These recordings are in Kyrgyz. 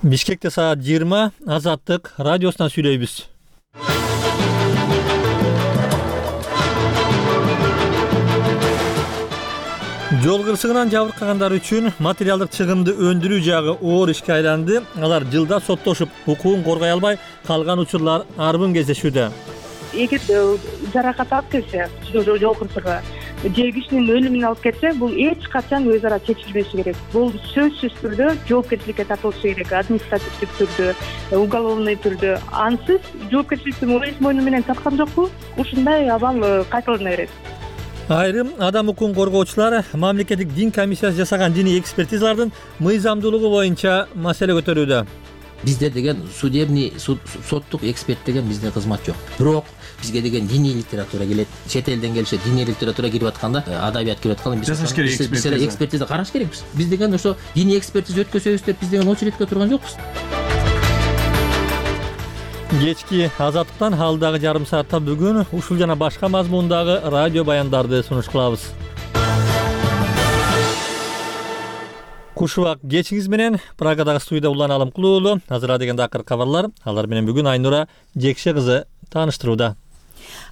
Бишкекте саат 20 Азаттык радиосунан сүйлөйбүз. Жол кырсыгынан жабыркагандар үчүн материалдык чыгымды өндүрүү жагы оор ишке айланды. Алар жылда соттошуп, укугун коргой албай калган учурлар арбын кездешүүдө. Эгер жаракат алып келсе, жол кырсыгы же кишинин өлүмүнө алып келсе, бул эч качан өз ара чечилбеши керек. Бул сөзсүз түрдө жоопкерчиликке тартылышы керек, административдик түрдө, уголовный түрдө. Ансыз жоопкерчиликти өз мойну менен тарткан жокпу? Ушундай абал кайталана берет. Айрым адам укугун коргоочулар мамлекеттик дин комиссиясы жасаган диний экспертизалардын мыйзамдуулугу боюнча маселе көтөрүүдө. Бизде деген судебный соттук эксперт деген бизде кызмат жок. Бирок бизге деген диний литература келет. Чет элден келишет, диний литература кирип атканда, адабият кирип атканда биз экспертиза караш керекпиз. Биз деген ошо диний экспертиза өткөзөбүз деп биз деген очередке турган жокпуз. Кечки Азаттыктан алдагы жарым саатта бүгүн ушул жана башка мазмундагы радио баяндарды сунуш кылабыз. Кушубак кечиңиз менен Прагадагы студияда Улан Алымкулуу уулу. Азыр деген акыр кабарлар. Алар менен бүгүн Айнура Жекше кызы тааныштырууда.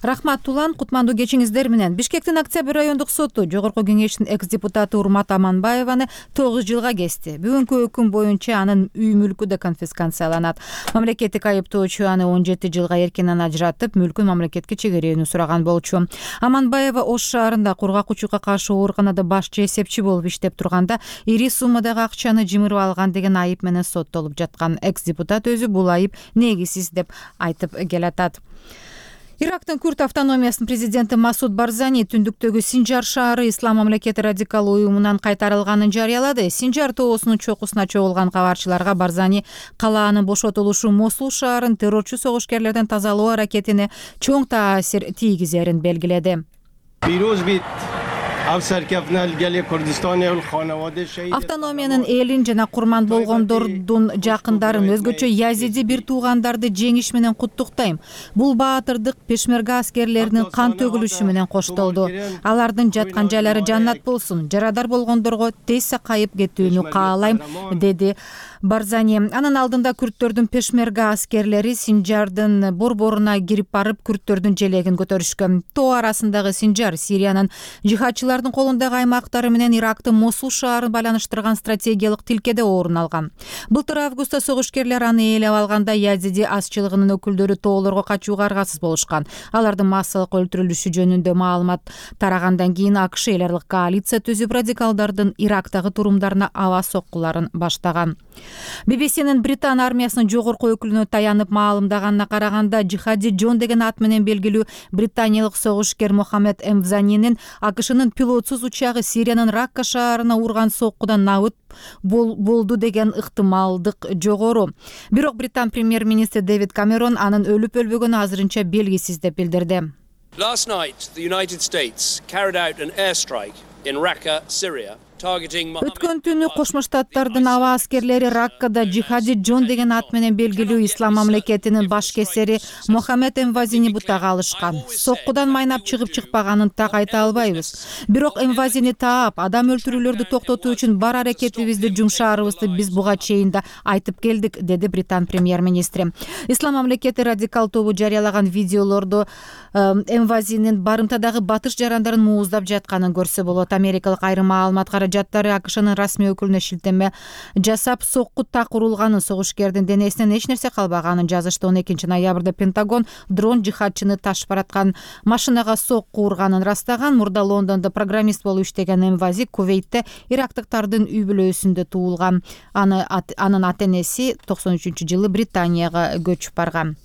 Рахмат Улан, кутмандуу кечиңиздер менен. Бишкектин Октябрь райондук соту Жогорку кеңештин экс-депутаты Урмат Аманбаеваны 9 жылга кести. Бүгүнкү өкүм боюнча анын үй мүлкү да конфискацияланат. Мамлекеттик айыптоочу аны 17 жылга эркинен ажыратып, мүлкүн мамлекетке чегерүүнү сураган болчу. Аманбаева Ош шаарында кургакчылыкка каршы ооруканада башчы эсепчи болуп иштеп турганда ири суммадагы акчаны жымырып алган деген айып менен соттолуп жаткан. Экс-депутат өзү бул айып негизсиз деп айтып келатат. Ирактын Күрд автономиясынын президенти Масуд Барзани түндүктөгү Синжар шаары Ислам мамлекети радикал уюмунан кайтарылганын жарыялады. Синжар тоосунун чокусуна чогулган кабарчыларга Барзани калаанын бошотулушу Мосул шаарын террорчу согушкерлерден тазалоо аракетине чоң таасир тийгизерин белгиледи. Автономиянын элин жана курман болгондордун жакындарын, өзгөчө язиди бир туугандарды жеңиш менен куттуктайм. Бул баатырдык пешмерга аскерлеринин кан төгүлүшү менен коштолду. Алардын жаткан жайлары жаннат болсун. Жарадар болгондорго тез сакайып кетүүнү каалайм, деди Барзани. Анын алдында күрттөрдүн пешмерга аскерлери Синжардын борборуна кирип барып, күрттөрдүн желегин көтөрүшкөн. Тоо арасындагы Синжар Сириянын жихадчылардын колундагы аймактары менен Ирактын Мосул шаарын байланыштырган стратегиялык тилкеде орун алган. Былтыр августта согушкерлер аны ээлеп алганда язиди азчылыгынын өкүлдөрү тоолорго качууга аргасыз болушкан. Алардын массалык өлтүрүлүшү жөнүндө маалымат тарагандан кийин АКШ эл аралык коалиция түзүп радикалдардын Ирактагы турумдарына аба соккуларын баштаган. BBC-нин Британ армиясынын жогорку өкүлүнө таянып маалымдаганына караганда, Жихади Джон деген ат менен белгилүү британиялык согушкер Мохаммед Эмвзанинин АКШнын пилотсуз учагы Сириянын Ракка шаарына урган соккудан набыт болду деген ыктымалдык жогору. Бирок Британ премьер-министри Дэвид Камерон анын өлүп өлбөгөнү азырынча белгисиз деп билдирди. Last night, the United States carried out an airstrike in Raqqa, Syria. Өткөн түнү Кошмо Штаттардын аба аскерлери Раккада Жихади Джон деген ат менен белгилүү Ислам мамлекетинин баш кесери Мохаммед Эмвазини бутага алышкан. Соккудан майнап чыгып чыкпаганын так айта албайбыз. Бирок Эмвазини таап, адам өлтүрүүлөрдү токтотуу үчүн бар аракетибизди жумшаарыбызды биз буга чейин да айтып келдик, деди Британ премьер-министри. Ислам мамлекети радикал тобу жарыялаган видеолордо Эмвазинин барымтадагы батыш жарандарын мууздап жатканын көрсө болот. Америкалык айрым маалымат жаттары АКШнын расмий өкүлүнө шилтеме жасап, сокку так урулганын, согушкердин денесинен эч нерсе калбаганын жазышты. 12 ноябрда Пентагон дрон жихадчыны ташып бараткан машинага сокку урганын растаган. Мурда Лондондо программист болуп иштеген Эмвази Кувейтте ирактыктардын үй бүлөсүндө туулган. Анын ата-энеси 93-жылы Британияга көчүп барган.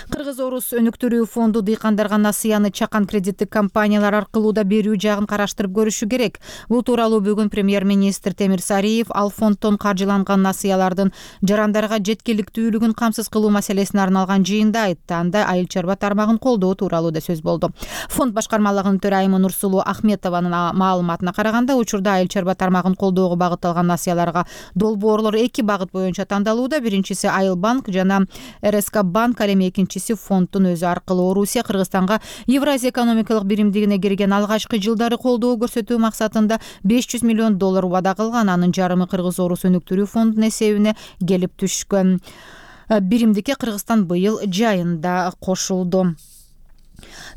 Кыргыз-Орус өнүктүрүү фонду дыйкандарга насыяны чакан кредиттик компаниялар аркылуу да берүү жагын караштырып көрүшү керек. Бул тууралуу бүгүн премьер-министр Темир Сариев ал фонддон каржыланган насыялардын жарандарга жеткиликтүүлүгүн камсыз кылуу маселесине арналган жыйында айтты. Анда айыл чарба тармагын колдоо тууралуу да сөз болду. Фонд башкармалыгынын төрайымы Нурсулуу Ахметованын маалыматына караганда, учурда айыл чарба тармагын колдоого багытталган насыяларга долбоорлор 2 багыт боюнча тандалууда. Биринчиси Айыл банк жана РСК банк, ал эми экинчиси фонддун өзү аркылуу. Орусия Кыргызстанга Евразия экономикалык биримдигине кирген алгачкы жылдары колдоо көрсөтүү максатында 500 миллион миллион доллар убада кылган. Анын жарымы Кыргыз Орус өнүктүрүү фондунун эсебине келип түшкөн. Биримдикке Кыргызстан быйыл жайында кошулду.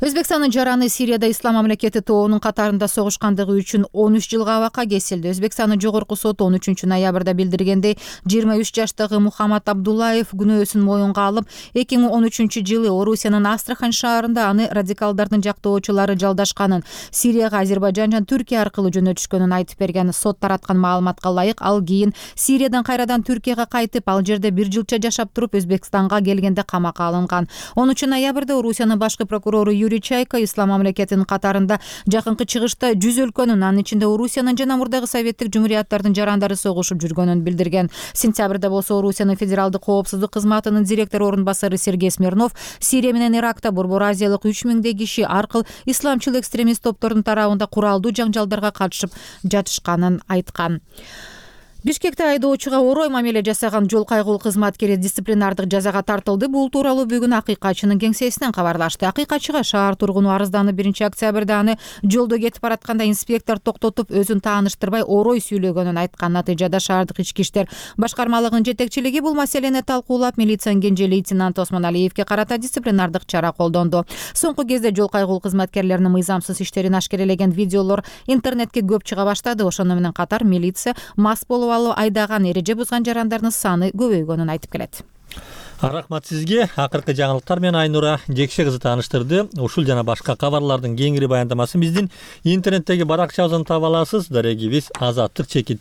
Өзбекстандын жараны Сирияда Ислам мамлекети тобунун катарында согушкандыгы үчүн 13 жылга абакка кесилди. Өзбекстандын жогорку соту 13 ноябрда билдиргендей, 23 жаштагы Мухаммад Абдуллаев күнөөсүн моюнга алып, 2013 жылы Орусиянын Астрахань шаарында аны радикалдардын жактоочулары жалдашканын, Сирияга Азербайжан жана Түркия аркылуу жөнөтүшкөнүн айтып берген. Сот тараткан маалыматка ылайык, ал кийин Сириядан кайрадан Түркияга кайтып, ал жерде 1 жылча жашап туруп, Өзбекстанга келгенде камакка алынган. 10 ноябрда Орусиянын башкы прокурору Юрий Чайка Ислам мамлекетинин катарында жакынкы чыгышта 100 өлкөнүн, анын ичинде Орусиянын жана мурдагы советтик жумурияттардын жарандары согушуп жүргөнүн билдирген. Сентябрда болсо Орусиянын федералдык коопсуздук кызматынын директор орун басары Сергей Смирнов Сирия менен Иракта Борбор Азиялык 3000 киши аркыл исламчыл экстремист топтордун тарабында куралдуу жаңжалдарга катышып жатышканын айткан. Бишкекте айдоочуга орой мамиле жасаган жол кайгылуу кызматкери дисциплинардык жазага тартылды. Бул тууралуу бүгүн Акыйкатчынын кеңсесинен кабарлашты. Акыйкатчыга шаар тургуну арызданып, 1 октябрда аны жолдо кетип баратканда инспектор токтотуп, өзүн тааныштырбай орой сүйлөгөнүн айткан. Натыйжада шаардык ички иштер башкармалыгынын жетекчилиги бул маселени талкуулап, милициянын кенже лейтенант Осмон Алиевге карата дисциплинардык чара колдонду. Соңку кезде жол кайгылуу кызматкерлеринин мыйзамсыз иштерин ашкерелеген видеолор интернетке көп чыга баштады. Ошону менен катар милиция мас болуп айдаган, эреже бузган жарандардын саны көбөйгөнүн айтып келет. Рахмат сизге. Акыркы жаңылыктар менен Айнура Жекше кызы тааныштырды. Ушул жана башка кабарлардын кеңири баяндамасын биздин интернеттеги баракчабыздан таба аласыз. Дарегибиз @azattyk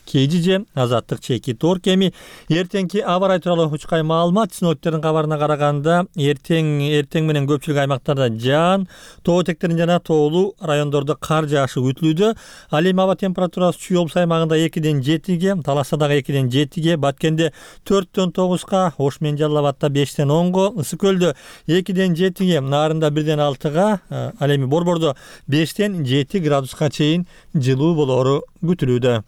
@azattyk.org. Эртеңки аба ырайы тууралуу учкай маалымат синоптиктердин кабарына караганда, эртең менен көпчүлүк аймактарда жаан, тоо этектерин жана тоолуу райондордо кар жаашы күтүлүүдө. Ал эми аба температурасы Чүй облус аймагында 2-ден 7-ге, Таласта дагы 2-ден 7-ге, Баткенде 4-төн 9-га, Ош менен Жалал Абадта 5-тен 10-го, Ысык көлдө 2-ден 7-ге, Нарында 1-ден 6-га, ал эми Борбордо 5-тен 7 градуска чейин жылуу болору күтүлүүдө.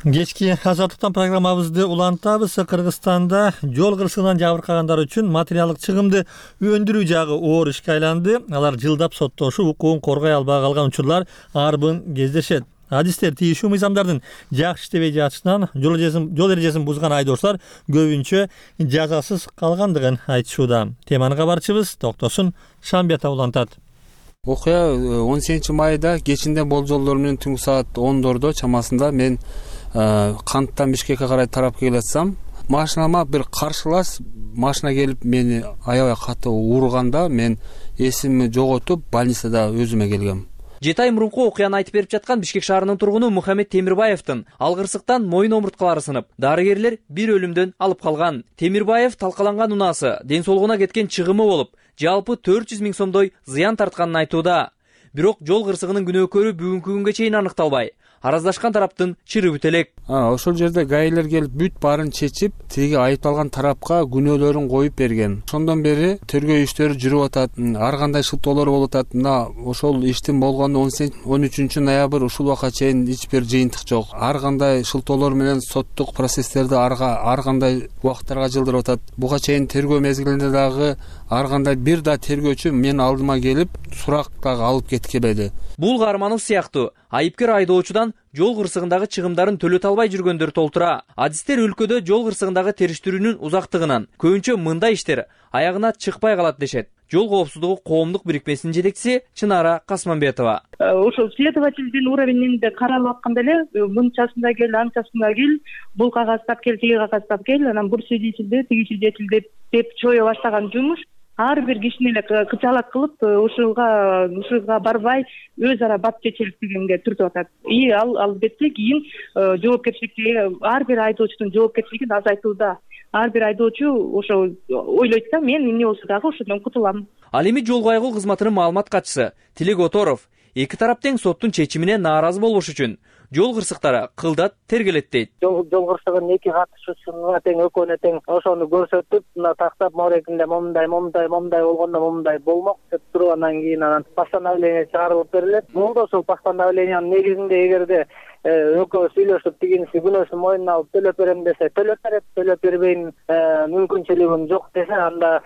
Кечки азаттыктан программабызды улантабыз. Кыргызстанда жол кырсыгынан жабыркагандар үчүн материалдык чыгымды өндүрүү жагы оор ишке айланды. Алар жылдап соттошуп, укугун коргой албай калган учурлар арбын кездешет. Адистер тийишүү мыйзамдардын жакшы иштебей жатышынан жол эрежесин бузган айдоочулар көбүнчө жазасыз калгандыгын айтышууда. Теманы кабарчыбыз Токтосун Шамбетов улантат. Окуя 18 майда кечинде болжолдор менен түнкү саат 10дордо чамасында мен Канттан Бишкекке карай тарап келе жатсам, машинама бир каршылаш машина келип мени аябай катуу урганда, мен эсимди жоготуп больницада өзүмө келгем. 7 ай мурунку окуяны айтып берип жаткан Бишкек шаарынын тургуну Мухаммед Темирбаевдин алгырсыктан моюн омурткалары сынып, дарыгерлер бир өлүмдөн алып калган. Темирбаев талкаланган унаасы ден соолугуна кеткен чыгымы болуп, жалпы 400 000 сомдой зыян тартканын айтууда. Бирок жол кырсыгынын күнөөкөрү бүгүнкү күнгө чейин аныкталбай. Араздашкан тараптын чыры бүт элек. Ошол жерде гаилер келип бүт баарын чечип, тиги айыпталган тарапка күнөөлөрүн коюп берген. Ошондон бери тергөө иштери жүрүп атат. Ар кандай шылтоолор болуп атат. Мына ошол иштин болгону 13 ноябрь ушул убакка чейин эч бир жыйынтык жок. Ар кандай шылтоолор менен соттук процесстерди ар кандай убакыттарга жылдырып атат. Буга чейин тергөө мезгилинде дагы ар кандай бир да тергөөчү мен алдыма келип сурак дагы алып кеткиледи. Бул Каарманов сыяктуу айыпкер айдоочудан жол кырсыгындагы чыгымдарын төлөтө албай жүргөндөр толтура. Адистер өлкөдө жол кырсыгындагы териштирүүнүн узактыгынан көбүнчө мындай иштер аягына чыкпай калат дешет. Жол коопсуздугу коомдук бирикмесинин жетекчиси Чынара Касманбетова. Ошол следовательдин уровенинде каралып атканда эле мынчасында кел, анчасында кел, бул кагазтап кел, тиги кагазтап кел, анан бул свидетель, тиги свидетель деп чое баштаган жумуш. Ар бир кишини эле кычалат кылып, ушуга барбай өз ара бат чечелик дегенге түртүп атат. И албетте кийин жоопкерчиликти ар бир айдоочунун жоопкерчилигин азайтууда. Ар бир айдоочу ошо ойлойт да, мен эмне болсо дагы ошодон кутулам. Ал эми жол кайгылуу кызматынын маалымат катчысы Тилек Оторов эки тарап тең соттун чечимине нааразы болбош үчүн жол кырсыктары кылдат тергелет дейт. Жол кырсыгынын эки катышуусуна тең экөөнө тең ошону көрсөтүп, мына тактап морегинде момундай болгондо момундай болмок деп туруп, анан кийин постановление чыгарылып берилет. Болду ошол постановлениянын негизинде эгерде экөө сүйлөшүп тигинси күнөөсүн мойнуна алып төлөп берем десе төлөп берет, төлөп бербейм мүмкүнчүлүгүм жок десе анда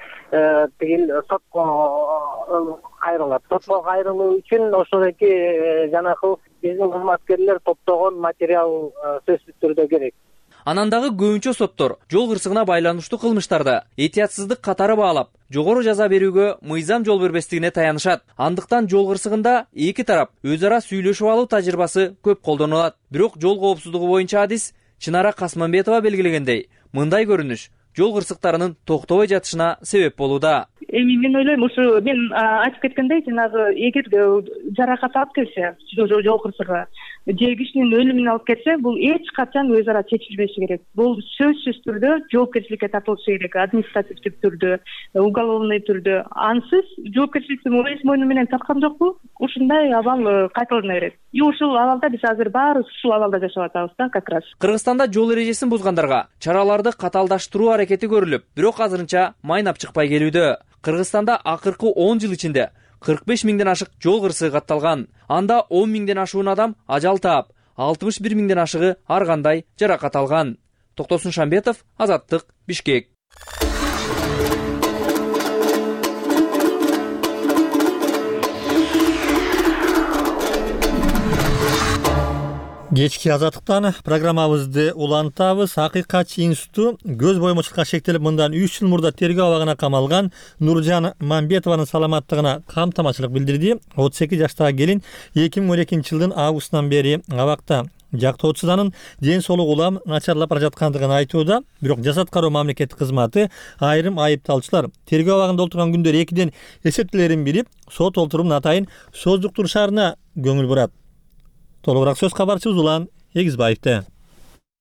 тигил сотко кайрылат. Сотко кайрылуу үчүн ошодоки жанакы биздин кызматкерлер топтогон материал сөзсүз түрдө керек. Анан дагы көбүнчө соттор жол кырсыгына байланыштуу кылмыштарды этиятсыздык катары баалап, жогору жаза берүүгө мыйзам жол бербестигине таянышат. Андыктан жол кырсыгында эки тарап өз ара сүйлөшүп алуу тажрыйбасы көп колдонулат. Бирок жол коопсуздугу боюнча адис Чынара Касманбетова белгилегендей, мындай көрүнүш жол кырсыктарынын токтобой жатышына себеп болууда. Мен ойлойм, ушу мен айтып кеткендей, жанагы эгер жаракат алып келсе жол кырсыгы же кишинин өлүмүнө алып келсе, бул эч качан өз ара чечилбеши керек. Бул сөзсүз түрдө жоопкерчиликке тартылышы керек, административдик түрдө, уголовный түрдө. Ансыз жоопкерчиликти өз мойну менен тарткан жокпу? Ушундай абал кайталана берет. И ушул абалда биз азыр баарыбыз ушул абалда жашап атабыз да, как раз. Кыргызстанда жол эрежесин бузгандарга чараларды каталдаштыруу аракети көрүлүп, бирок азырынча майнап чыкпай келүүдө. Кыргызстанда акыркы 10 жыл ичинде 45 миңден ашык жол кырсыгы катталган. Анда 10 миңден ашуун адам ажал таап, 61 миңден ашыгы ар кандай жаракат алган. Токтосун Шамбетов, Азаттык, Бишкек. Кечки Азаттыктан программабызды улантабыз. Акыйкатчы институту көз боймочулукка шектелип мындан 3 жыл мурда тергөө абагына камалган Нуржан Мамбетованын саламаттыгына камтамачылык билдирди. 38 жаштагы келин 2012 жылдын августунан бери абакта. Жактоочусу анын ден соолугу улам начарлап бара жаткандыгын айтууда. Бирок жасат кароо мамлекеттик кызматы айрым айыпталуучулар тергөө абагында отурган күндөр 2ден эсептелерин билип, сот олтурумун атайын сооздуктурушарына көңүл бурат. Толугураак сөз кабарчыбыз Улан Эгизбаевде.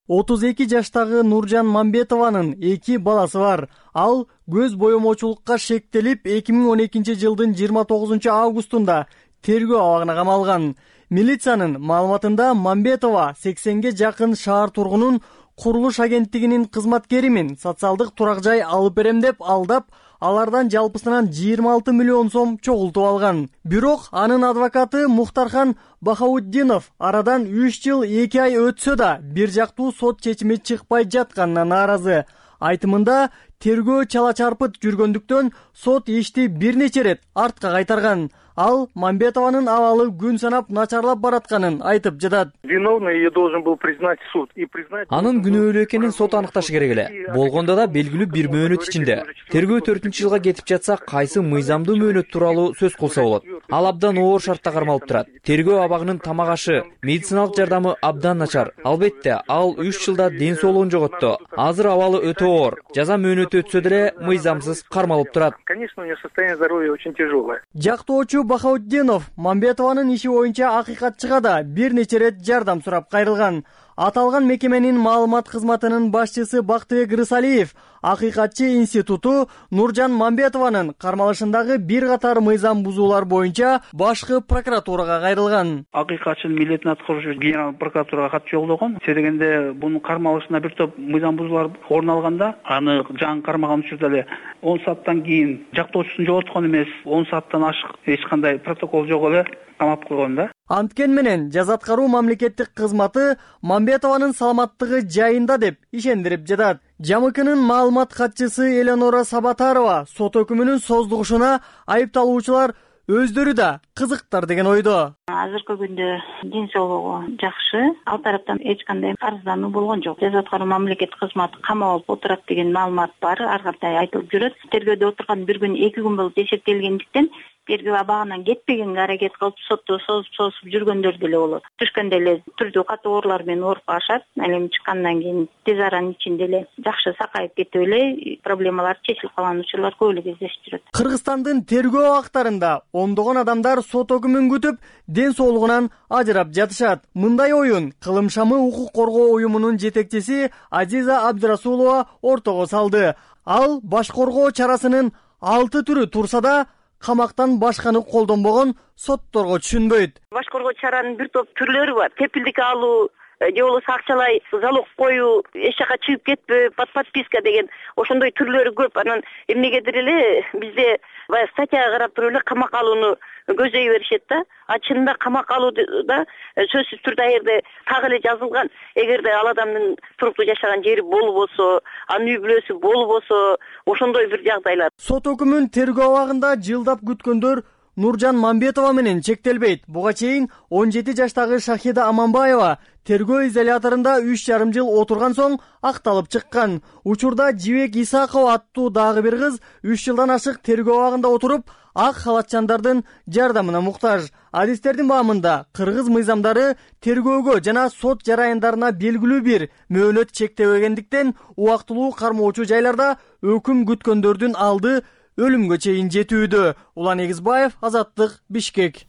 32 жаштагы Нуржан Мамбетованын 2 баласы бар. Ал көз боемочулукка шектелип 2012 жылдын 29 августунда тергөө абагына камалган. Милициянын маалыматында Мамбетова 80ге жакын шаар тургунун курулуш агенттигинин кызматкеримин социалдык турак жай алып берем деп алдап, алардан жалпысынан 26 миллион сом чогултуп алган. Бирок анын адвокаты Мухтархан Бахауддинов арадан 3 жыл 2 ай өтсө да бир жактуу сот чечими чыкпай жатканына нааразы. Айтымында тергөө чала чарпыт жүргөндүктөн сот ишти бир нече рет артка кайтарган. Ал Мамбетованын абалы күн санап начарлап баратканын айтып жатат. Виновный ее должен был признать суд и признать. Анын күнөөлүү экенин сот аныкташы керек эле. Болгондо да белгилүү бир мөөнөт ичинде. Тергөө 4-жылга кетип жатса, кайсы мыйзамдуу мөөнөт тууралуу сөз кылса болот. Ал абдан оор шартта кармалып турат. Тергөө абагынын тамак ашы, медициналык жардамы абдан начар. Албетте, ал 3 жылда ден соолугун жоготту. Азыр абалы өтө оор. Жаза мөөнөтү өтсө деле мыйзамсыз кармалып турат. Конечно, у нее состояние здоровья очень тяжелое. Жактоочу Бахауддинов Мамбетованын иши боюнча акыйкатчыга да бир нече рет жардам сурап кайрылган. Аталган мекеменин маалымат кызматынын башчысы Бактыбек Рысалиев акыйкатчы институту Нуржан Мамбетованын кармалышындагы бир катар мыйзам бузуулар боюнча башкы прокуратурага кайрылган. Акыйкатчынын милдетин аткаруучу генерал прокуратурага кат жолдогон. Дегенде бунун кармалышында бир топ мыйзам бузуулар орун алганда, аны жаңы кармаган учурда эле 10 сааттан кийин жактоочусун жоготкон эмес, 10 сааттан ашык эч кандай протокол жок эле камап койгон да. Анткен менен жаза аткаруу мамлекеттик кызматы Мамбетованын саламаттыгы жайында деп ишендирип жатат. ЖМКнын маалымат катчысы Эленора Сабатарова сот өкүмүнүн сооздугушуна айыпталуучулар өздөрү да кызыктар деген ойдо. Азыркы күндө ден соолугу жакшы, ал тараптан эч кандай арыздануу болгон жок. Жаза аткаруу мамлекеттик кызматы камап алып отурат деген маалымат бар, ар кандай айтылып жүрөт. Тергөөдө отурган бир күн 2 күн болуп эсептелгендиктен тергөө абагынан кетпегенге аракет кылып сотто созуп жүргөндөр деле болот. Түшкөндө эле түрдүү катуу оорулар менен ооруп калышат. Эми чыккандан кийин тез аранын ичинде эле жакшы сакайып кетип эле проблемалар чечилип калган учурлар көп эле кездешип жүрөт. Кыргызстандын тергөө абактарында ондогон адамдар сот өкүмүн күтүп, ден соолугунан ажырап жатышат. Мындай оюн Кылым шамы укук коргоо уюмунун жетекчиси Азиза Абдрасулова ортого салды. Ал баш коргоо чарасынын 6 түрү турса да, камактан башканы колдонбогон, сотторго түшүнбөйт. Башкаргыч чаранын бир топ түрлөрү бар. Кепилдик алуу, же болбосо акчалай залог коюу, эч жака чыгып кетпөө, подписка деген ошондой түрлөрү көп. Анан эмнегедир эле бизде баягы статьяга карап туруп эле камак алууну көздөй беришет да. А чынында камак алууда сөзсүз түрдө аерде так эле жазылган. Эгерде ал адамдын туруктуу жашаган жери болбосо, анын үй бүлөсү болбосо, ошондой бир жагдайлар. Сот өкүмүн тергөө абагында жылдап күткөндөр Нуржан Мамбетова менен чектелбейт. Буга чейин 17 жаштагы Шахида Аманбаева тергөө изоляторунда 3,5 жыл отурган соң акталып чыккан. Учурда Жибек Исакова аттуу дагы бир кыз 3 жылдан ашык тергөө абагында отуруп, ак халатчандардын жардамына муктаж. Адистердин баамында кыргыз мыйзамдары тергөөгө жана сот жараяндарына белгилүү бир мөөнөт чектебегендиктен убактылуу кармоочу жайларда өкүм күткөндөрдүн алды өлүмгө чейин жетүүдө. Улан Эгизбаев, Азаттык, Бишкек.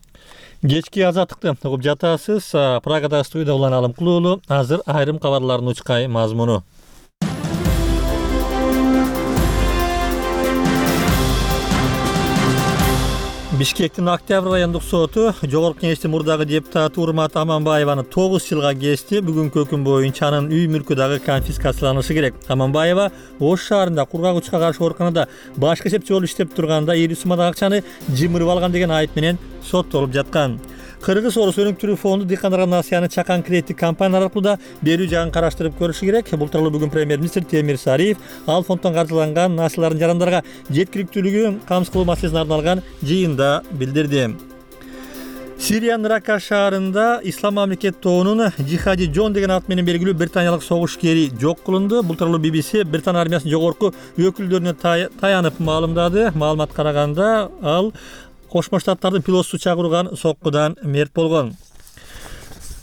Кечки Азаттыкты угуп жатасыз. Прагада студияда Улан Алымкулуулу. Азыр айрым кабарлардын учкай мазмуну. Бишкектин Октябрь райондук соту Жогорку Кеңештин мурдагы депутаты Урмат Аманбаеваны 9 жылга кести. Бүгүнкү өкүм боюнча анын үй мүлкү дагы конфискацияланышы керек. Аманбаева Ош шаарында кургагычка каршы ооруканада башкы эсепчи болуп иштеп турганда 50 сомдагы акчаны жымырып алган деген айып менен соттолуп жаткан. Кыргыз Орус өнүктүрүү фонду дыйкандарга насыяны чакан кредиттик компаниялар аркылуу да берүү жагын караштырып көрүшү керек. Бул тууралуу бүгүн премьер-министр Темир Сариев ал фонддон каржыланган насыялардын жарандарга жеткиликтүүлүгүн камсыз кылуу маселесине арналган жыйында билдирди. Сириянын Рака шаарында Ислам мамлекет тобунун Джихади Джон деген ат менен белгилүү британиялык согушкери жок кылынды. Бул тууралуу BBC Британия армиясынын жогорку өкүлдөрүнө таянып маалымдады. Маалыматка караганда ал Кошмо Штаттардын пилотсуз чагырылган соккудан мерт болгон.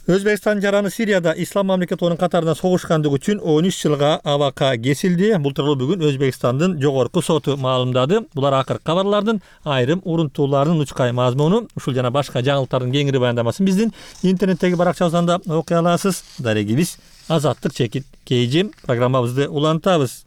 Өзбекстан жараны Сирияда Ислам мамлекет тобунун катарында согушкандыгы үчүн 13 жылга абакка кесилди. Бул тууралуу бүгүн Өзбекстандын жогорку соту маалымдады. Булар акыркы кабарлардын айрым урунтууларынын учкай мазмуну. Ушул жана башка жаңылыктардын кеңири баяндамасын биздин интернеттеги баракчабыздан окуй аласыз. Дарегибиз Азаттык чекит KG программабызды улантабыз.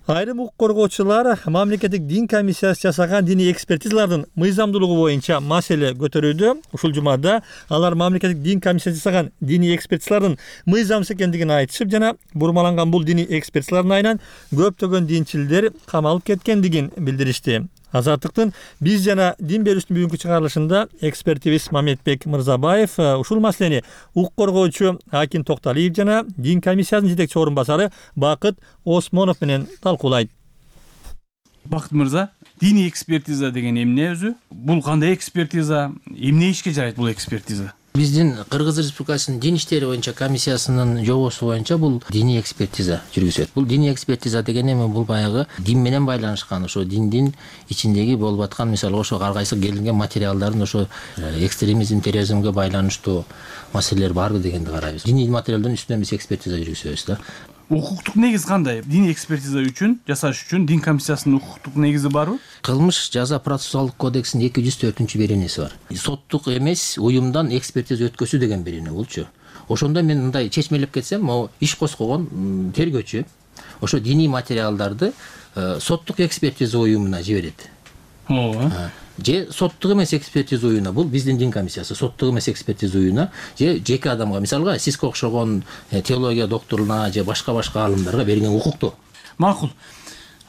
Айрым укук коргоочулар мамлекеттик дин комиссиясы жасаган диний экспертизалардын мыйзамдуулугу боюнча маселе көтөрүүдө. Ушул жумада алар мамлекеттик дин комиссиясы жасаган диний экспертизалардын мыйзамсыз экендигин айтышып, жана бурмаланган бул диний экспертизалардын айынан көптөгөн динчилдер камалып кеткендигин билдиришти. Азаттыктын биз жана дин берүүчүнүн бүгүнкү чыгарылышында экспертибиз Мамедбек Мырзабаев ушул маселени укук коргоочу Акин Токталиев жана дин комиссиясынын жетекчи орун басары Бакыт Осмонов менен талкуулайт. Бакыт мырза, диний экспертиза деген эмне өзү? Бул кандай экспертиза? Эмне ишке жарайт бул экспертиза? Биздин Кыргыз Республикасынын дин иштери боюнча комиссиясынын жобосу боюнча бул диний экспертиза жүргүзөт. Бул диний экспертиза деген эме бул баягы дин менен байланышкан, ошо диндин ичиндеги болуп аткан, мисалы ошо ар кайсы келинген материалдардын ошо экстремизм, терроризмге байланыштуу маселелер барбы дегенди карайбыз. Диний материалдардын үстүнөн биз экспертиза жүргүзөбүз да. Укуктук негиз кандай? Диний экспертиза үчүн, жасаш үчүн дин комиссиясынын укуктук негизи барбы? Кылмыш жаза процессуалдык кодексинин 204-беренеси бар. Соттук эмес уюмдан экспертиза өткөзүү деген берене болчу. Ошондо мен мындай чечмелеп кетсем, могу иш коскогон тергөөчү ошо диний материалдарды соттук экспертиза уюмуна жиберет. Ооба. Же соттук эмес экспертиза уюмуна, бул биздин дин комиссиясы, соттук эмес экспертиза уюмуна, же жеке адамга, мисалга сизге окшогон теология докторуна же башка аалымдарга берген укукту. Макул.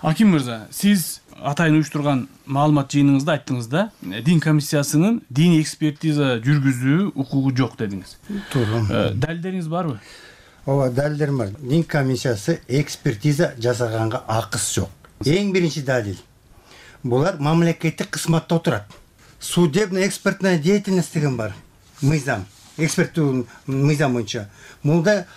Аким мырза, сиз атайын уюштурган маалымат жыйыныңызда айттыңыз да, дин комиссиясынын диний экспертиза жүргүзүү укугу жок дедиңиз. Туура. Далилдериңиз барбы? Ооба, далилдерим бар. Дин комиссиясы экспертиза жасаганга акысы жок. Эң биринчи далил. Булар мамлекеттик кызматта отурат. Судебно-экспертная деятельность деген бар. Мыйзам, эксперттүү мыйзам боюнча. Мында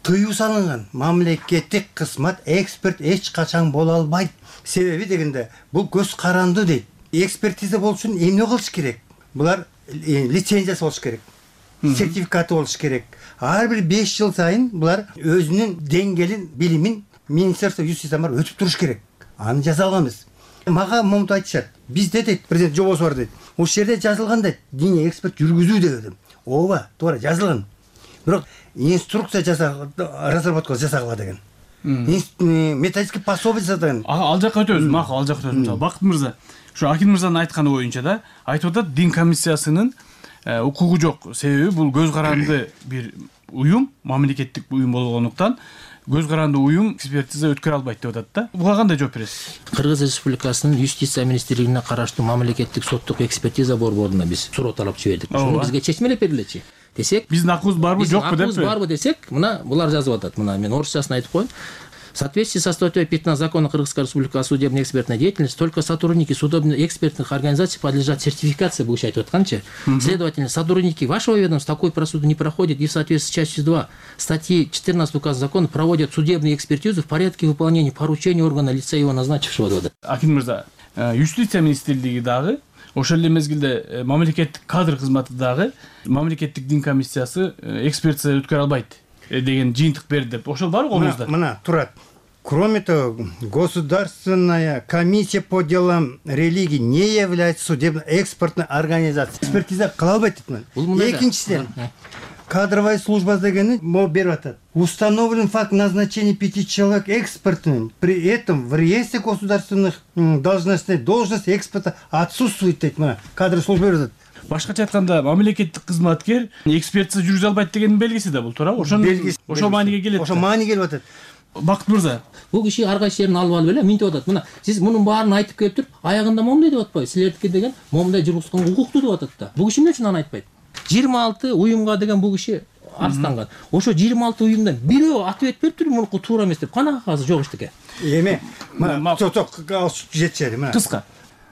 тыюу салынган. Мамлекеттик кызмат эксперт эч качан боло албайт. Себеби дегенде бул көз каранды дейт. Экспертиза болуш үчүн эмне кылыш керек? Булар лицензиясы болуш керек. Сертификаты болуш керек. Ар бир 5 жыл сайын булар өзүнүн деңгээлин, билимин Министерство юстиция бар өтүп туруш керек. Аны жазалганбыз. Мага момунтип айтышат. Бизде дейт, президент жобосу бар дейт. Ошол жерде жазылган дейт, диний эксперт жүргүзүү дедим. Ооба, туура жазылган. Бирок инструкция разработка жасагыла деген. Методический пособие жасаган. Ал жакка өтөбүз, макул, ал жакка өтөбүз. Бакыт мырза, ушу Акин мырзанын айтканы боюнча да айтып атат, дин комиссиясынын укугу жок. Себеби бул көз каранды бир уюм, мамлекеттик уюм болгондуктан көз каранды уюм экспертиза өткөрө албайт деп атат да. Буга кандай жооп бересиз? Кыргыз Республикасынын юстиция министрлигине караштуу мамлекеттик соттук экспертиза борборуна биз суроо талап жибердик. Ошону бизге чечмелеп бергилечи десек, биздин акыбыз барбы жокпу деп. Акыбыз барбы десек, мына булар жазып атат. Мына мен орусчасын айтып коеюн. В соответствии со статьей 15 Закона Кыргызской Республики о судебной экспертной деятельности, только сотрудники судебно-экспертных организаций подлежат сертификации, буга айтып атканчы. Следовательно, сотрудники вашего ведомства такой просуду не проходят и в соответствии с частью 2 статьи 14 указа закона проводят судебную экспертизу в порядке выполнения поручений органа лица его назначившего. Акин мырза, юстиция министрлиги дагы, ошол эле мезгилде мамлекеттик кадр кызматы дагы мамлекеттик дин комиссиясы экспертиза өткөрө албайт деген жыйынтык берди деп. Ошол барбы колуңузда? Мына турат. Кроме того, Государственная комиссия по делам религии не является судебно-экспертной организацией. Экспертиза кыла албайт дейт. Экинчиден, кадровая служба дегени могу берип атат. Установлен факт назначения 5 человек экспертными. При этом в реестре государственных должностей должность эксперта отсутствует дейт. Мына кадровая служба берип атат. Башкача айтканда, мамлекеттик кызматкер экспертиза жүргүзө албайт дегендин белгиси да бул, туурабы? Ошол мааниге келет. Ошол мааниге келип атат. Бакыт мырза, бул киши ар кайсы жерин алып эле минтип атат. Мына сиз мунун баарын айтып келип туруп, аягында момундай деп атпайбы? Силердики деген момундай жүргүзгөнгө укуктуу деп атат да. Бул киши эмне үчүн аны айтпайт? 26 уюмга деген бул киши арстанган. Ошо 26 уюмдан бирөө ответ берип туруп, мунуку туура эмес деп кана азыр жок иштеке. Эми, мына жетчери, мына. Кыска.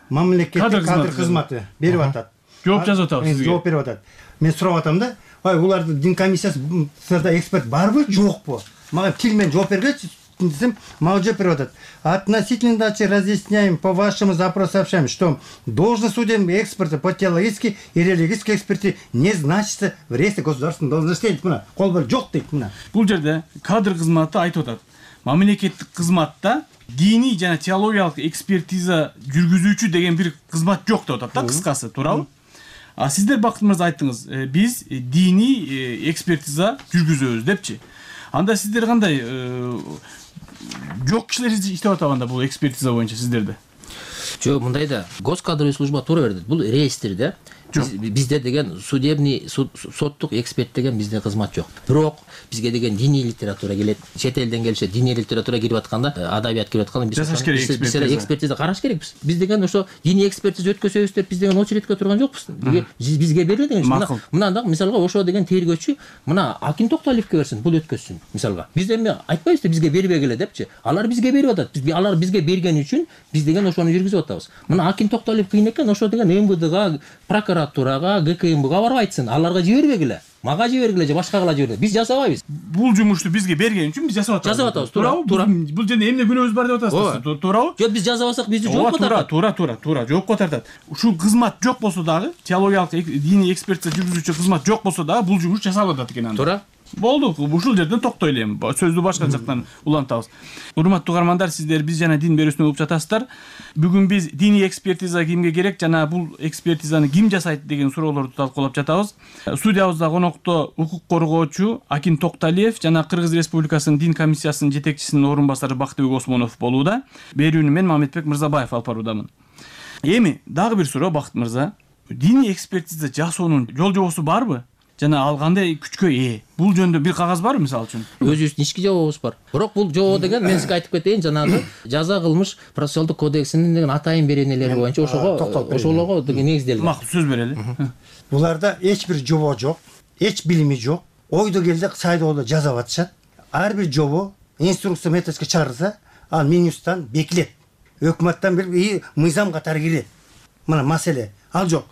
Мамлекеттик кадр кызматы берип атат. Жооп жазып атабыз сизге. Жооп берип атат. Мен сурап атам да, улардын дин комиссиясында эксперт барбы, жокпу? Мага тил менен жооп бергилечи десем, мага жооп берип атат. Относительно дачи разъясняем по вашему запросу сообщаем, что должность судебного эксперта по теологической и религиозной экспертизе не значится в реестре государственных должностей. Мына кол бер жок дейт мына. Бул жерде кадр кызматы айтып атат. Мамлекеттик кызматта диний жана теологиялык экспертиза жүргүзүүчү деген бир кызмат жок деп атат да, кыскасы, туурабы? А сиздер Бакыт мырза айттыңыз, биз диний экспертиза жүргүзөбүз депчи. Анда сиздер кандай жок кишилер иштеп атабы анда бул экспертиза боюнча сиздерде? Жок, мындай да. Госкадровый служба туура берди. Бул реестрде бизде деген судебный соттук эксперт деген бизде кызмат жок. Бирок бизге деген диний литература келет. Чет элден келишет, диний литература кирип атканда, адабият кирип атканда биз экспертиза караш керекпиз. Биз деген ошо диний экспертиза өткөзөбүз деп биз деген очередке турган жокпуз. Бизге берилет деген. Мына да мисалга ошо деген тергөөчү мына Акин Токталиевке берсин, бул өткөзсүн мисалга. Биз эми айтпайбыз да бизге бербегиле депчи. Алар бизге берип атат. Алар бизге берген үчүн биз деген ошону жүргүзүп атабыз. Мына Акин Токталиев кыйын экен, ошо деген МВДга, прокуратурага, ГКМБга барып айтсын. Аларга жибербегиле. Мага жибергиле же башкага жибергиле. Биз жасабайбыз. Бул жумушту бизге берген үчүн биз жасап атабыз. Жасап атабыз, туура. Бул жерде эмне күнөөбүз бар деп атасыз, туурабы? Жок, биз жасабасак бизди жоопко тартат. Туура, жоопко тартат. Ушул кызмат жок болсо дагы, теологиялык диний экспертиза жүргүзүүчү кызмат жок болсо дагы бул жумуш жасалып атат экен анда. Туура. Болду, ушул жерден токтойлу эми. Сөздү башка жактан улантабыз. Урматтуу угармандар, сиздер биз жана дин берүүсүнө угуп жатасыздар. Бүгүн биз диний экспертиза кимге керек жана бул экспертизаны ким жасайт деген суроолорду талкуулап жатабыз. Студиябызда конокто укук коргоочу Акин Токталиев жана Кыргыз Республикасынын дин комиссиясынын жетекчисинин орун басары Бактыбек Осмонов болууда. Берүүнү мен Мамедбек Мырзабаев алып баруудамын. Эми дагы бир суроо Бакыт мырза. Диний экспертиза жасоонун жол жобосу барбы? Жана ал кандай күчкө ээ? Бул жөнүндө бир кагаз барбы мисалы үчүн? Өзүбүздүн ички жобобуз бар. Бирок бул жобо деген мен сизге айтып кетейин, жанагы жаза кылмыш процессуалдык кодексинин деген атайын беренелери боюнча ошолорго деген негизделген. Макул, сөз берели. Буларда эч бир жобо жок, эч билими жок. Ойдо келди сайдоодо жазап атышат. Ар бир жобо инструкция методика чыгарылса, ал Минюсттан бекилет. Өкмөттөн бир мыйзам катары кирет. Мына маселе ал жок.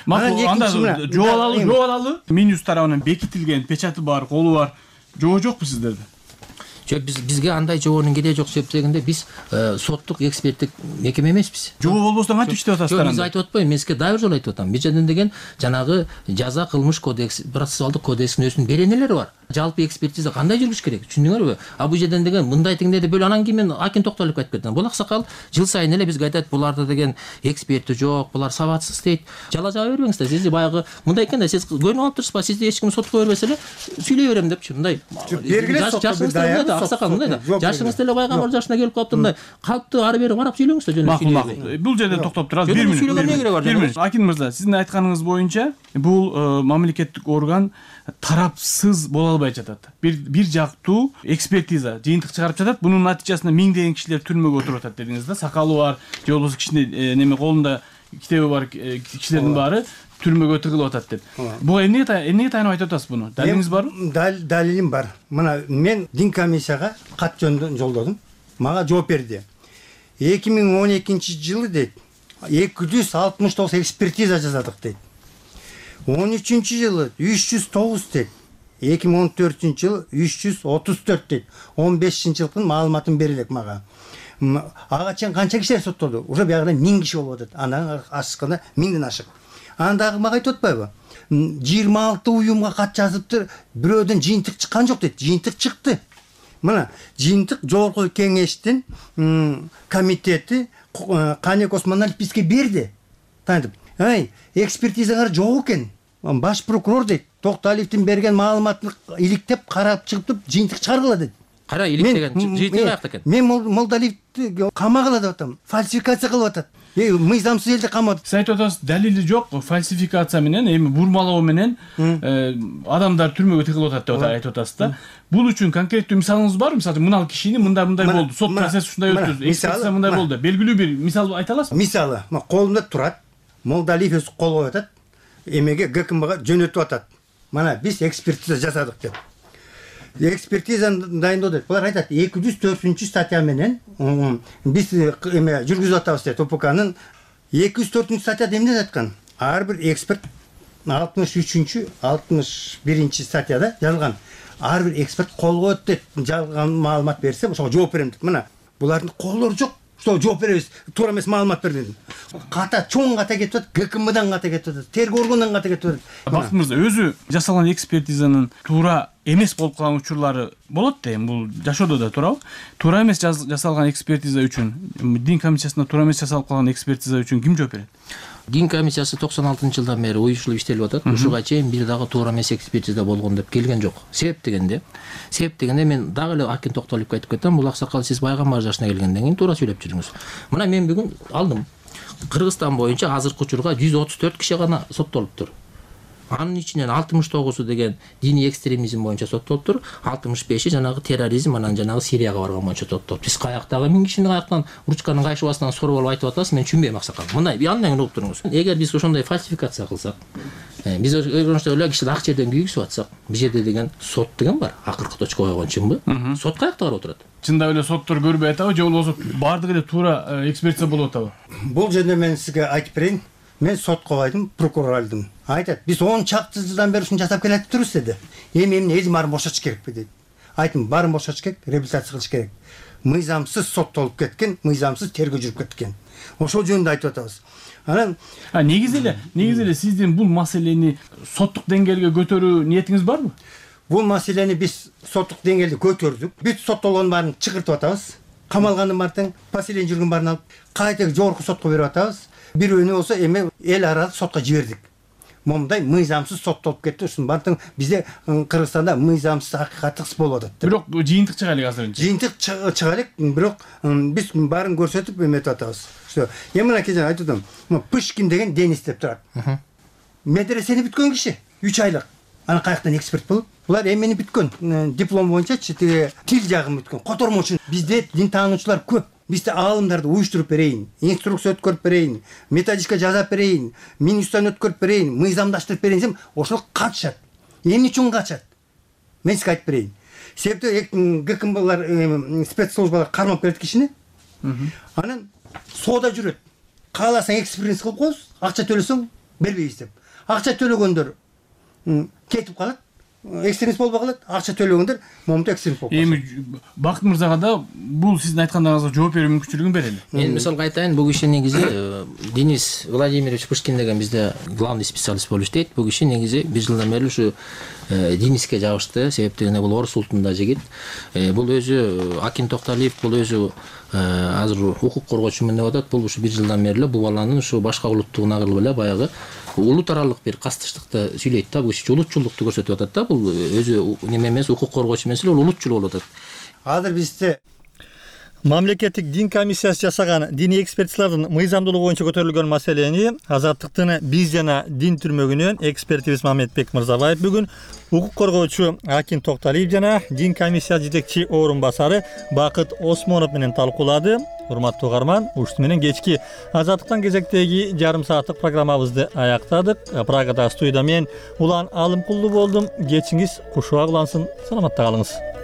Макул, анда жобалалы Минюс тарабынан бекитилген печаты бар, колу бар. Жобо жокпу сиздерде? Жок, бизге андай жобонун кереги жок себебинде биз соттук эксперттик мекеме эмеспиз. Жобо болбосо кантип иштеп атасыздар анда? Биз айтып атпайбы, мен сизге дагы бир жолу айтып атам. Биз жерден деген жанагы жаза кылмыш кодекс, процессуалдык кодекстин өзүнүн беренелери бар. Жалпы экспертиза кандай жүрүш керек, түшүндүңөрбү? А бул жерден деген мындай теңдеди бөлө, анан кийин мен акин токтолуп айтып кеттим. Бул аксакал жыл сайын эле бизге айтат, буларда деген эксперти жок, булар сабатсыз дейт. Жала жаба бербеңиздер. Сиз баягы мындай экенде, сиз көнүп алып турсузбу? Сизди эч ким сотко бербесе эле сүйлөй берем депчи. Мындай жашыңызда аксакал мындай да. Жашыңызда эле пайгамбар жашына келип калыптыр, мындай калыпты ары бери карап сүйлөңүздөр жөнүндө. Макул. Бул жерде токтоп турабыз. 1 мүнөт. Акин мырза, сиздин айтканыңыз боюнча бул мамлекеттик орган тарапсыз боло албай жатат. Бир жактуу экспертиза жыйынтык чыгарып жатат. Бунун натыйжасында миңдеген кишилер түрмөгө отуруп атат дедиңиз да. Сакалы бар, же болбосо кичине неме колунда китеби бар кишилердин баары түрмөгө тыгылып атат деп. Буга эмнеге таянып айтып атасыз буну? Далилиңиз барбы? Далилим бар. Мына мен дин комиссияга кат жолдодум. Мага жооп берди. 2012-жылы дейт 269 экспертиза жасадык дейт. 13-жылы 309 дейт. 2014-жылы 334 дейт. 15-жылкын маалыматын берилек мага. Ага чейин канча кишилер соттолду? Уже биягында 1000 киши болуп атат. Андан ашыкканда 1000ден ашык. Андагы мага айтып атпайбы? 26 уюмга кат жазыптыр, бирөөдөн жыйынтык чыккан жок дейт. Жыйынтык чыкты. Мына жыйынтык жогорку кеңештин комитети Канек Осмоналиев бизге берди. Тантип, экспертизаңар жок экен. Баш прокурор дейт, Токтоалиевдин берген маалыматын иликтеп карап чыгып жыйынтык чыгаргыла дейт. Кара иликтеген жыйынтык каякта экен? Мен Молдалиевди камагыла деп атам. Фальсификация кылып атат. Мыйзамсыз элди камады. Сиз айтып атасыз, далили жок, фальсификация менен, эми бурмалоо менен адамдар түрмөгө тыгылып атат деп айтып атасыз да. Бул үчүн конкреттүү мисалыңыз барбы? Мисалы мынал кишини мындай болду, сот процесси ушундай өттү, экспертиза мындай болду. Белгилүү бир мисал айта аласызбы? Мисалы, колумда турат. Молдалиев өз кол коюп атат. Эмеге ГКМга жөнөтүп атат. Мана биз экспертиза жасадык деп. Экспертизаны дайындоо дейт. Булар айтат, 204-статья менен биз эме жүргүзүп атабыз дейт. ОПКнын 204-статьяда эмне айткан? Ар бир эксперт 63-61-статьяда жазылган. Ар бир эксперт кол коет дейт. Жалган маалымат берсе, ошого жооп берем дейт. Мына булардын колдору жок. Что жооп беребиз, туура эмес маалымат бердим. Ката чоң ката кетип атат, ГКМдан ката кетип атат, тергөө органынан ката кетип атат. Бакыт мырза, өзү жасалган экспертизанын туура эмес болуп калган учурлары болот да, эми бул жашоодо да туурабы? Туура эмес жасалган экспертиза үчүн, дин комиссиясында туура эмес жасалып калган экспертиза үчүн ким жооп берет? Дин комиссиясы 96-жылдан бери уюштуруп иштелип атат. Ушуга чейин бир дагы туура эмес экспертиза болгон деп келген жок. Себеп дегенде мен дагы эле Акин Токтоалиевге айтып кетем, бул аксакал сиз пайгамбар жашына келгенден кийин туура сүйлөп жүрүңүз. Мына мен бүгүн алдым. Кыргызстан боюнча азыркы учурга 134 киши гана соттолуптур. Анын ичинен 69-у деген диний экстремизм боюнча соттолуптур, 65-и жанагы терроризм, анан жанагы Сирияга барган боюнча соттолуптур. Биз каяктагы 1000 кишини каяктан ручканын кайшыбасынан соруп алып айтып атасыз, мен түшүнбөйм аксакал. Мындай андан кийин угуп туруңуз. Эгер биз ошондой фальсификация кылсак, биз ошондой эле кишиди ак жерден күйгүзүп атсак, бул жерде деген сот деген бар. Акыркы точка койгон чынбы? Сот каякта карап отурат? Чындап эле соттор көрбөй атабы, же болбосо баардыгы эле туура экспертиза болуп атабы? Бул жерде мен сизге айтып берейин. Мен сотко койдум, прокурор алдым. Айтат, биз 10 чакты жылдан бери ушуну жасап келатырбыз деди. Эми элдин баарын бошотуш керекпи дейт. Айттым, баарын бошотуш керек, реабилитация кылыш керек. Мыйзамсыз соттолуп кеткен, мыйзамсыз тергөө жүрүп кеткен. Ошол жөнүндө айтып атабыз. Анан негизи эле сиздин бул маселени соттук деңгээлге көтөрүү ниетиңиз барбы? Бул маселени биз соттук деңгээлде көтөрдүк. Бүт соттолгондун баарын чыгыртып атабыз. Камалгандын баарын, поселение жүргөн баарын алып, кайта жогорку сотко берип атабыз. Бирөөнү болсо эми эл аралык сотко жибердик. Момундай мыйзамсыз соттолуп кетти. Ушунун баардыгы бизде Кыргызстанда мыйзамсыз акыйкаттыксыз болуп атат. Бирок жыйынтык чыга элек азырынча. Жыйынтык чыга элек, бирок биз баарын көрсөтүп эметип атабыз. Что, мына кечээ айтып атам. Пышкин деген Денис деп турат. Медресени бүткөн киши, 3 айлык. Аны каяктан эксперт болуп? Булар эмени бүткөн, диплом боюнча тил жагын бүткөн. Котормочу бизде дин таануучулар көп. Бизде аалымдарды уюштуруп берейин, инструкция өткөрүп берейин, методичка жазап берейин, минустан өткөрүп берейин, мыйзамдаштырып берейин десем, ошол качат. Эмне үчүн качат? Мен сизге айтып берейин. Себеби ГКМлар спецслужбалар кармап келет кишини. Анан соода жүрөт. Кааласаң экспертиз кылып коебуз, акча төлөсөң бербейбиз деп. Акча төлөгөндөр кетип калат. экстремист болбой калат, акча төлөгөндөр момунтип экстремист болуп калат. Эми Бакыт мырзага да бул сиздин айткандарыңызга жооп берүү мүмкүнчүлүгүн берели. Мен мисалга айтайын, бул киши негизи Денис Владимирович Пушкин деген бизде главный специалист болуп иштейт. Бул киши негизи 1 жылдан бери ушу Дениске жабышты, себептен бул орус улутунда жигит. Бул өзү Акин Токталиев, бул өзү азыр укук коргоочумун деп атат. Бул ушу 1 жылдан бери бул баланын ушу башка улуттугуна кылып эле баягы улут аралык бир кастыштыкты сүйлөйт да. Бул киши улутчулдукту көрсөтүп атат да. Бул өзү неме эмес, укук коргоочу эмес эле, ул улутчул болуп атат. Азыр бизде мамлекеттик дин комиссиясы жасаган диний экспертизалардын мыйзамдуулугу боюнча көтөрүлгөн маселени Азаттыктын биз жана дин түрмөгүнөн экспертибиз Мамедбек Мырзабаев бүгүн укук коргоочу Акин Токталиев жана дин комиссия жетекчи орун басары Бакыт Осмонов менен талкуулады. Урматтуу угарман, ушуну менен кечки Азаттыктан кезектеги жарым сааттык программабызды аяктадык. Прагада студияда мен Улан Алымкулду болдум. Кечиңиз кушуак улансын. Саламатта калыңыз.